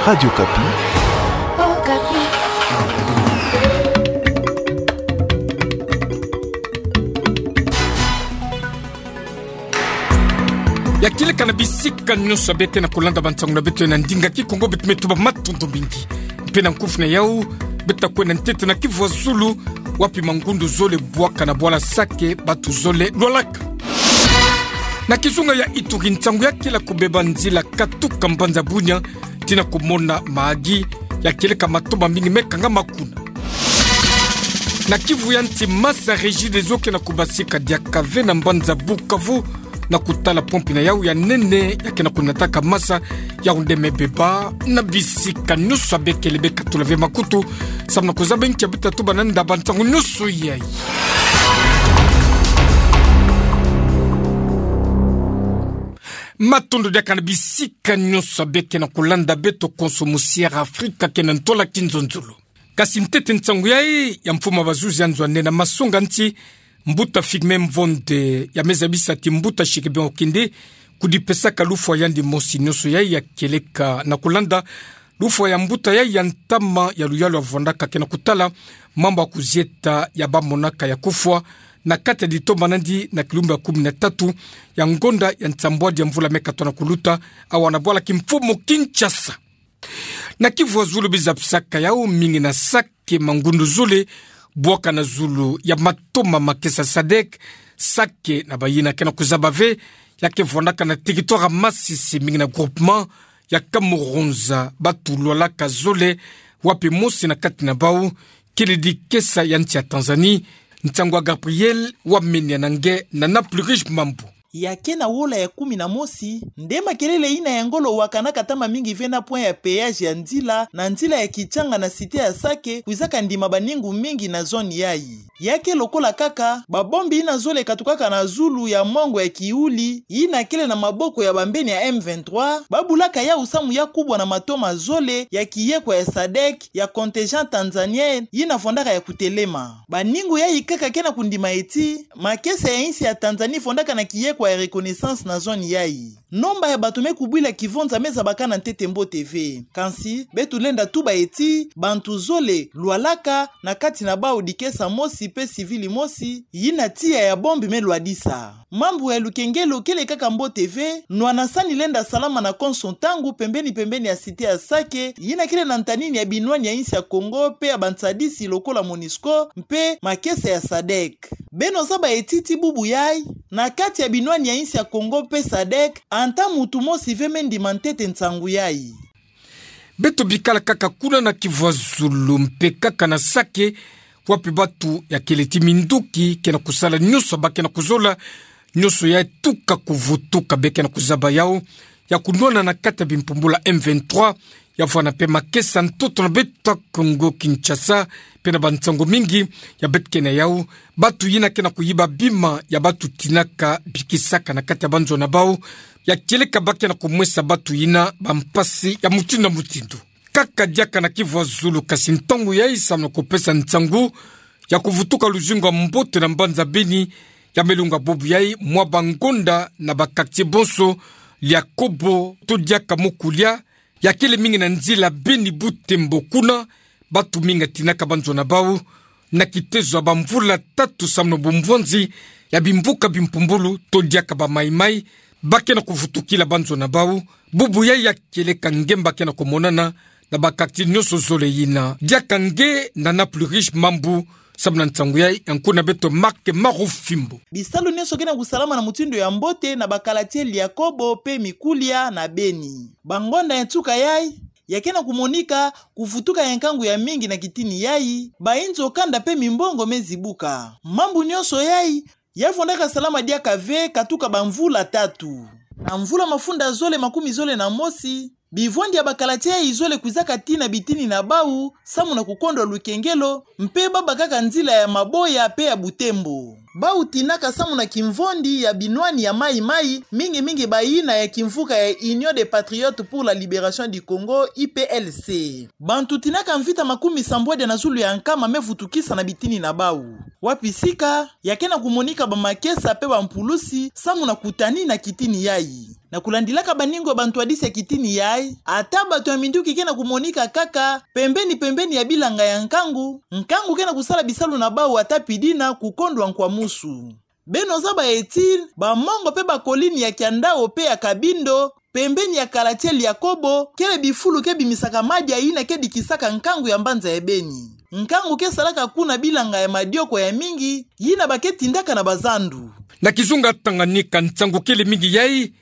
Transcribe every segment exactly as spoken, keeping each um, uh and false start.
Radio Okapi. Okapi. Ya kieleka na bisika nyonso beke na kulanda bansangu na beto ya na ndinga Kikongo, beto me tuba matondo mingi. Mpe na nkufi na yau, beto ta kwenda ntete na kivua zulu, wapi mangundu zole bwaka na bwala Sake, batu zole lwalaka. Na kizunga ya Ituri, nsangu ya kele kubeba nzila katuka mbanza Bunia tii na kumona maagi, ya kieleka matoma mingi me kangama kuna. Na kivu ya nsi, masa Regideso ke na kubasika diaka ve na mbanza Bukavu, na kutala pompi na yau ya nene ya ke na kunataka masa, yau nde me beba na bisika nyonso. Beke lebe katula ve makutu, samu na kuzaba nki ya beto ta tuba na nda bansangu nyonso yayi. Matondo diaka na bisika nyonso beke na kulanda beto konso mu Sierra Afrika ke na ntola kinzonzolo. Kasi ntete nsangu yayi ya mfumu ya bazuzi ya nzo ya nene ya masonga nsi, mbuta Firmin Mvonde, ya me zabisa ti mbuta Chiribin Okindi, kudipesaka lufwa yandi mosi nyonso yayi ya kieleka na kulanda lufwa ya mbuta yayi ya ntama ya luyalu ya vwandaka ke na kutala mambu ya kuzieta ya bamonaka ya kufwa, na kati ya ditoma nandi na kilumbu ya kumi na tatu ya ngonda ya nsambwadi ya mvula me katona kuluta, awa na bwala kimfumu Kinshasa. Na kivua zulu, biza pisaka yau mingi na Sake, mangundu zole bwaka na zulu ya matoma makesa SADEC. Sake na bayina ke na kuzaba ve, ya ke vwandaka na territoire ya Masisi, mingi na groupement ya Kamuronza, batu lwalaka zole, wapi mosi na kati na bau kele dikesa ya nsi ya Tanzanie. Nsangu ya Gabriel Wamenia na nge na Nana Plurish Mambu. Ya ke na wola ya kumi na mosi, nde makelele yina ya ngolo wakanaka ntama mingi ve na point ya péage ya nzila, na nzila ya Kitshanga na cité ya Sake, kwizaka ndima baningu mingi na zone yayi. Ya ke lokola kaka babombi yina zole katukaka na zulu ya mongo ya kiwuli, yina kele na maboko ya bambeni ya M vingt-trois, babulaka yau samu ya kubwa na matoma zole ya kiyekwa ya SADEC, ya contingent tanzanien, yina vwandaka ya kutelema. Baningu yayi kaka ke na kundima ti makesa ya insi ya Tanzanie vwandaka na kiyekwa ya reconnaissance na zone yayi. Nomba ya batu me kubwila kivonza me zabakana ntete mbote ve. Kansi, beto lenda tuba ti bantu zole lwalaka, na kati na bau dikesa mosi mpe civil mosi, yina tiya ya bombe me lwadisa. Mambu ya lukengelo kele kaka mbote ve, nwana sani lenda salama na konso ntangu pembeni-pembeni ya cité ya Sake, yina kele na ntanini ya binwani ya insi ya Kongo mpe ya bansadisi lokola MONUSCO mpe makesa ya SADEC. Beno zaba ti ti bubu yayi, na kati ya binwani ya insi ya Kongo mpe SADEC, ata muntu mosi ve me ndima ntete nsangu yayi. Beto bikala kaka kuna na kivwazulu mpe kaka na Sake, wapi batu ya kele ti minduki ke na kusala nyonso ba ke na kuzola, nyonso ya tuka kuvutuka, be ke na kuzaba yau ya kunwana na kati ya bimpumbulu ya M vingt-trois, ya vwanda mpe makesa ntoto na beto ya Kongo Kinshasa, mpe na bansangu mingi ya beto ke na yau, batu yina ke na kuyiba bima ya batu tinaka bikisaka na kati ya banzo na bau, ya kieleka ba ke na kumwesa batu yina bampasi ya mutindu na mutindu. Kaka diaka na kivwazulu, kasi ntangu yayi samu na kupesa nsangu ya kuvutuka luzingu ya mbote na mbanza Beni, ya me lunga bubu yayi mwa bangonda na ba quartier bonso, Liakobo to diaka Mukulia, ya kele mingi na nzila Beni-Butembo kuna, batu mingi ya tinaka banzo na bau, na kitezo ya bamvula tatu samu na bumvwanzi ya bimvuka bimpumbulu to diaka ba Mai-Mai, ba ke na kuvutukila banzo na bau, bubu yayi ya kieleka ngemba ke na kumonana na ba quartier nyonso zole yina. Diaka nge Nana Plurish Mambu, samu na nsangu yayi, ya nkuna beto Marc Marufimbo. Bisalu nyonso ke na kusalama na mutindu ya mbote na ba quartier Liakobo mpe Mikulia na Beni. Bangonda ya nsuka yayi, ya ke na kumonika kuvutuka ya nkangu ya mingi na kitini yayi, bayinzo kanda mpe mimbongo me zibuka. Mambu nyonso yayi, ya vwandaka salama diaka ve katuka bamvula tatu. Na mvula mafunda zole makumi zole na mosi, bivwandi ya ba quartier yayi zole kwizaka tii na bitini na bau, samu na kukondwa lukengelo, mpe ba bakaka nzila ya Maboya mpe ya Butembo. Bau tinaka samu na kimvwandi ya binwani ya Mai-Mai, mingi-mingi bayina ya kimvuka ya Union des Patriotes pour la Libération du Congo, U P L C. Bantu tinaka mvita makumi sambwadi na zulu ya nkama me vutukisa na bitini na bau. wapi sika ya ke na kumonika bamakesa pe bampulusi samu na kutani na kitini yayi. Na kulandilaka baningo ya bantwadisi ya kitini yayi, ata bato ya minduki ke na kumonika kaka pembeni-pembeni ya bilanga ya nkangu, nkangu ke na kusala bisalu na bau ata pidina kukondwa nkwa musu. Beno zaba eti, bamongo pe bakolini ya Kiandao pe ya Kabindo, pembeni ya Kalatiel ya Kobo, kele bifulu ke bimisaka madia yina ke dikisaka nkangu ya mbanza ya Beni. Nkangu ke salaka kuna bilanga ya madioko ya mingi, yina ba ke tindaka na bazandu. Na kizunga Tanganyika, nsangu kele mingi yayi,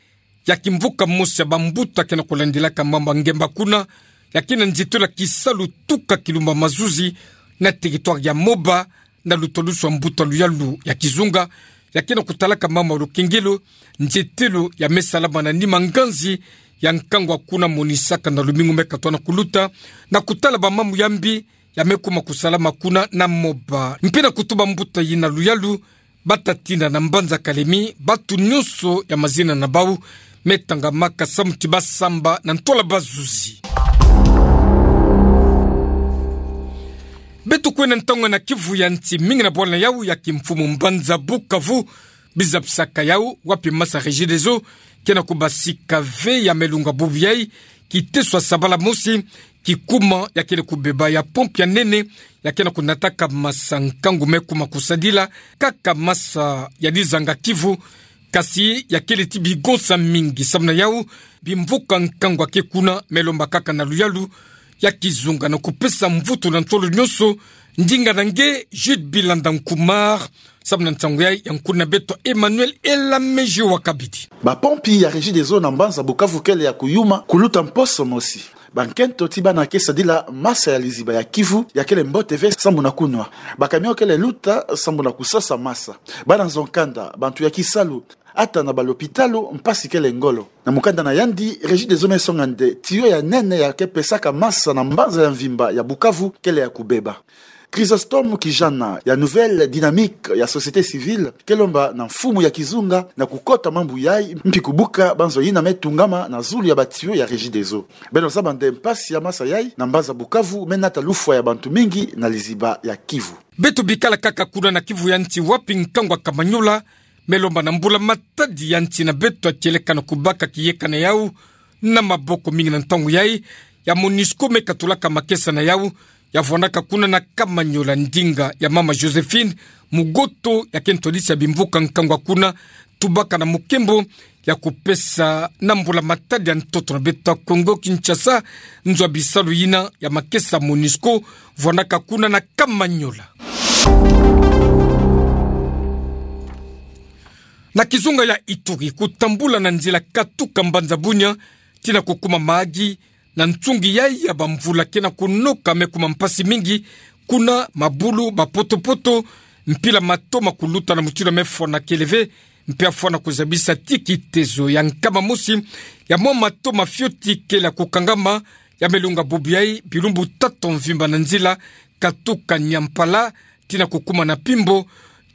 ya kimvuka mosi ya bambuta ke na kulandilaka mambu ya ngemba kuna, ya ke na nzietelo ya kisalu tuka kilumba mazuzi, na territoire ya Moba, na lutalusu ya mbuta luyalu ya kizunga, ya ke na kutalaka mambu ya lukengelo, nzietelo ya me salama na nima nganzi ya nkangu ya kuna monisaka na lumingu me katoa na kuluta, na kutala bamambu ya mbi, ya me kuma kusalama kuna na Moba. Mpe na kutuba mbuta yina luyalu, bata tina na mbanza Kalemi, batu nyonso ya mazina na bau me tangamaka samu ti basamba na ntola bazuzi. Beto kwenda ntangu na Kivu ya nti, mingi na bwala na yau ya kimfumu mbanza Bukavu, bizabisaka yau wapi masa Regideso ke na kubasika ve ya me lunga bubu yayi, kiteso ya sabala mosi, kikuma ya kele kubeba ya pompe ya nene, ya ke na kunataka masa nkangu me kuma kusadila, kaka masa ya lizanga Kivu, kasi ya kele ti bigonsa mingi. Samu na yau, bimvuka nkangu ya ke kuna me lomba kaka na luyalu ya kizunga na kupesa mvutu na ntolo nyonso. Ndinga na nge, Jude Bilanda Nkumar, samu na nsangu yayi ya nkuna beto Emmanuel Elameji wa kabidi. Bapompi ya Regideso na mbanza Bukavu kele ya kuyuma kuluta mposo mosi. Bankento ti bana ke sadila masa ya liziba ya Kivu ya kele mbote ve samu na kunwa. Bakamion kele luta samu na kusosa masa. Bana nzo-nkanda, bantu ya kisalu, ata na balopitalo, mpasi kele ngolo. Na mukanda na yandi, Regideso me songa nde tiyo ya nene ya ke pesaka masa na mbanza ya mvimba ya Bukavu kele ya kubeba. Chrysostome Kijana ya Nouvelle Dynamique ya Société Civile ke lomba na mfumu ya kizunga na kukota mambu yayi, mpi kubuka banzo yina me tungama na zulu ya batiyo ya Regideso. Beno zaba nde mpasi ya masa yayi na mbanza Bukavu me nata lufwa ya bantu mingi na liziba ya Kivu. Beto bikala kaka kuna na Kivu ya nti, wapi nkangu ya Kamanyola me lomba na mbula-matadi ya nti na beto ya tieleka na kubaka kiyeka na yau na maboko. Mingi na ntangu yayi, ya Monusco me katulaka makesa na yau, ya vwandaka kuna na Kamanyola. Ndinga ya mama Joséphine Mugoto, ya ke ntwadisi ya bimvuka nkangu ya kuna, tubaka na mukembo ya kupesa na mbula-matadi ya ntoto na beto ya Kongo Kinshasa nzo ya bisalu yina ya makesa Monusco vwandaka kuna na Kamanyola. Na kizunga ya Ituri, kutambula na nzila katuka mbanza Bunia tii na kukuma Mahagi, na nsungi yayi ya bamvula ke na kunoka me kuma mpasi mingi, kuna mabulu, bapotopoto, mpila matoma kuluta na mutindu ya me fwanakele ve, mpe ya fwana kuzabisa tii kitezo ya nkama mosi ya mwa matoma fioti kele ya kukangama, ya me lunga bubu yayi bilumbu tatu mvimba na nzila katuka Niampala tii na kukuma na Pimbo,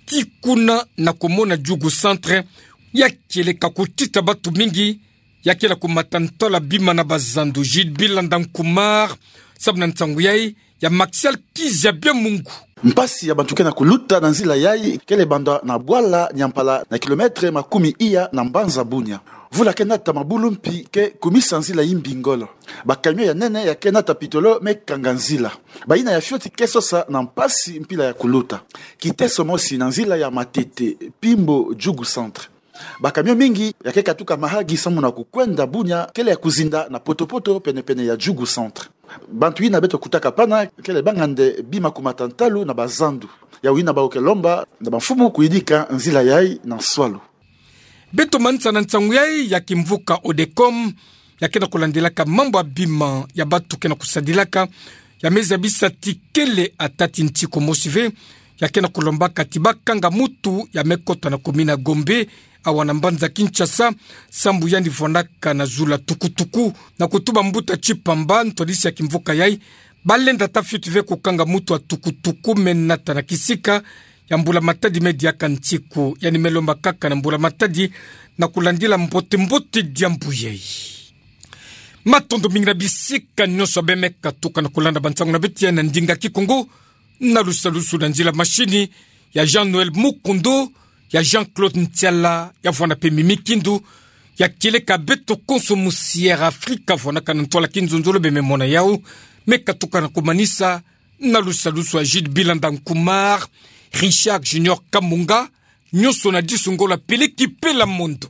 tii kuna na kumona Djugu Centre, ya kieleka kutita batu mingi, ya kele kumata ntola bima na bazandu. Jude Bilanda Nkumar, samu na nsangu yayi ya Maxial Kizia Biamungu. Mpasi ya bantu ke na kuluta na nzila yayi kele banda na bwala Niampala na kilomètre makumi iya na mbanza Bunia. Mvula ke nata, mabulu mpi ke kumisa nzila yimbi ngolo. Bakamion ya nene ya ke nata pitolo me kanga nzila. Bayina ya fioti ke sosa na mpasi mpila ya kuluta. Kiteso mosi na nzila ya Matete, Pimbo, Djugu Centre. Bakamion mingi ya ke katuka Mahagi samu na kukwenda Bunia kele ya kuzinda na potopoto pene-pene ya Djugu Centre. Bantu yina beto kutaka pana kele banga nde bima kumata ntalu na bazandu. Yawu yina bawu ke lomba na bamfumu kuyidika nzila yayi na nswalu. Beto manisa na nsangu yayi ya kimvuka Odecom, ya ke na kulandilaka mambu ya bima ya batu ke na kusadilaka, ya me zabisa tii kele ata tii ntiku mosi ve, ya ke na kulombaka tii bakanga mutu ya me kota na commune ya Gombe, awa na mbanza Kinshasa, sambu yandi vwandaka na zulu ya tukutuku. Na kutuba mbuta Tshipamba, ntwadisi ya kimvuka yayi, balenda ata fioti ve kukanga mutu ya tukutuku me nata na kisika ya mbula-matadi me diaka ntiku, yandi me lomba kaka na mbula-matadi na kulandila mbote-mbote diambu yayi. Matondo mingi na bisika nyonso beno me katuka na kulanda bansangu na beto ya na ndinga Kikongo, na lusalusu na nzila mashini, ya Jean-Noël Mukundu, ya Jean-Claude Ntiala, ya vwana pe mimi kindu, ya kieleka beto konso mu Sierra Africa, vwana kana ntwala kinzonzolo be me mona yau, me katoka na komanisa, na lusalusu a Jude Bilanda Nkumar, Richard Junior Kamunga, nyonso na disu ngolo apeleki Pela Mondo.